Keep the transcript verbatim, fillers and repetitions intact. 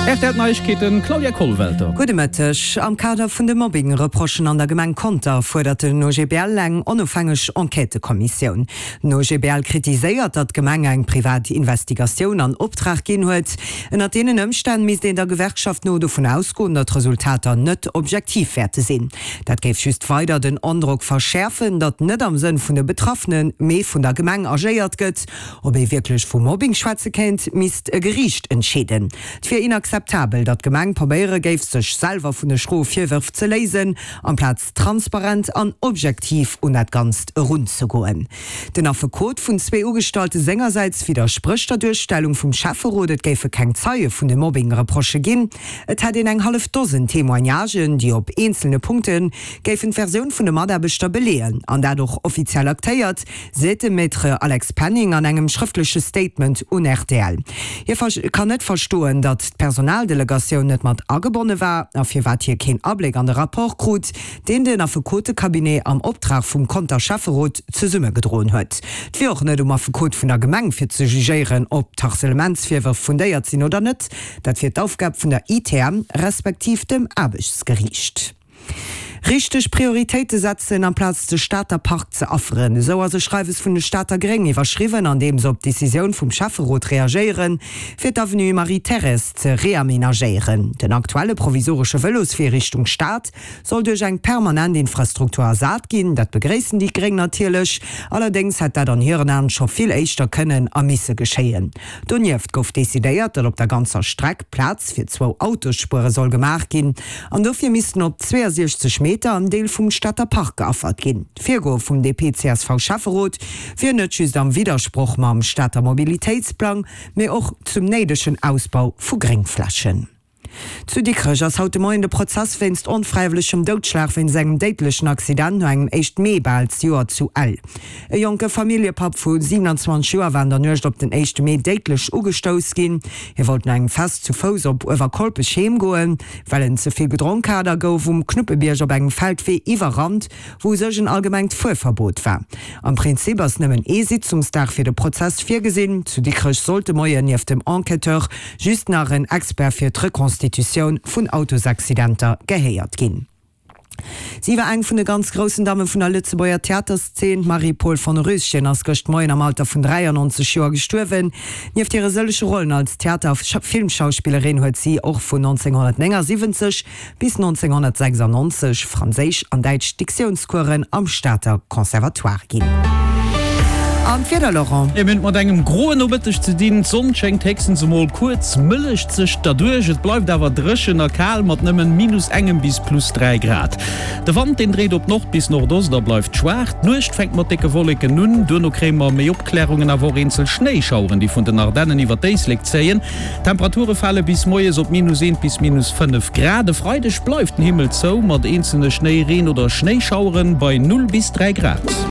R T L Neiegkeeten, Claudia Kollwelter. Gudde Mëtteg. Am Kader vun de Mobbing-Reprochen an der Gemeng Conter fuerdert den O G B L eng onofhängeg Enquêtëkommissioun. Den O G B L kritiséiert, datt d'Gemeng eng privat Investigatioun an Optrag ginn huet. Ënnert deenen Ëmstänn misst een der Gewerkschaft no dovun ausgoen, datt d'Resultater net objektiv wäerte sinn. Dat géif just weider den Androck verschäerfen, datt net am Sënn vun de Betraffenen, mee vun der Gemeng agéiert gëtt. Ob ee wierklech vu Mobbing schwätze kéint, misst e Geriicht entscheeden. Et wier inakzeptabel, datt d'Gemeng probéiere géif, sech selwer vun de schroe Virwërf ze léisen, amplaz transparent an objektiv un dat Ganzt erunzegoen. Den Affekot vun zwee Ugestallte sengersäits widdersprécht der Duerstellung vum Schäfferot, et géife keng Zeie vun de Mobbing-Reprochë ginn. Et hätt een eng hallef Dosen Témoignagen, déi op eenzelne Punkte géifen d'Versioun vun de Mataarbechter beleeën an dat och offiziell aktéiert, seet de Maître Alex Penning an engem schrëftleche Statement un R T L. Hie kann net verstoen, datt d'Personaldelegatioun net mat agebonne war a firwat hie keen Abléck an de Rapport krut, deen den Affekotecabinet am Optrag vum Conter Schäfferot zesummegedroen huet. Et wier och net um Affekot vun der Gemeng fir ze jugéieren, ob d'Harcelementsvirwërf fundéiert sinn oder net, dat wier d'Aufgab vun der I T M respektiv dem Aarbechtsgeriicht. Richteg Prioritéite setzen, amplaz de Stater Park ze afferen, esou ass e Schreiwes vun de Stater Gréng iwwerschriwwen, an deem se op d'Decisioun vum Schäfferot reagéieren, fir d'Avenue Marie-Thérèse ze reamenagéieren. Den aktuelle provisoresche Vëloswee Richtung Stad soll duerch eng permanent Infrastruktur ersat ginn. Dat begréissen déi Gréng natierlech, allerdéngs hätt dat an hiren Aen scho vill éischter kënnen a misse geschéien. Donieft gouf decidéiert, datt op der ganzer Streck Plaz fir zwou Autosspuere soll gemaach ginn an dofir missten op zweeësiechzeg Meter en Deel vum Stater Park geaffert ginn. D'Virgoe vum D P C S V-Schäfferot wier net just am Widdersproch mam Stater Mobilitéitsplang, mee och zum néidegen Ausbau vu Gréngflächen. Zu Dikrech ass haut de Moien de Prozess wéinst onfräiwëllegem Doudschlag wéinst engem déidlechen Accident no engem éischte Mee bal zejoert zu Ell. E jonke Familljepapp vu siewenundzwanzeg Joer war an der Nuecht op den éischte Mee déidlech ugestouss ginn. Hie wollt no engem Fest zu Fouss op Uewerkolpech heem goen, well en ze vill gedronk hat a gouf um Knuppebierg op engem Feldwee iwwerrannt, wou u sech en allgemengt Fuerverbot war. Am Prinzip ass nëmmen ee Sitzungsdag fir de Prozess virgesinn. Zu Dikrech sollt de Moien nieft dem Enquêteur just nach en Expert fir d'Rekonstitutioun vun Autosaccidenter gehéiert ginn. Si war eng vun de ganz groussen Damme vun der Lëtzebuerger Theaterszeen. D'Marie-Paule von Röschen ass gëscht Moien am Alter vun dräiannonzeg Joer gestuerwen. Nieft hire sëllege Rollen als Theater a Filmschauspillerin huet si och vun nonzénghonnertnéngasiwwenzeg bis nonzénghonnertsechsannonzeg franséisch an däitsch Diktiounscoursen am Stater Conservatoire ginn. An d'Wieder, Laurent? Mir hunn et mat engem groen Nomëtteg ze dinn. D'Sonn schéngt héchstens emol kuerz, mëllegt sech derduerch. Et bleift awer dréchen a kal mat nëmmen minus engem bis plus dräi Grad. De Wand, deen dréit op Nord bis Nordost a bleift schwaach. D'Nuecht fänkt mat décke Wolleken un, duerno kréie mer méi Opklärungen, awer och eenzel Schnéischaueren, déi vun den Ardennen iwwer d'Éislek zéien. D'Temperature fale bis moies op minus eent bis minus fënnef Grad. E Freideg bleift den Himmel zou mat eenzelne Schnéi-, Reen oder Schnéischaueren bei null bis dräi Grad.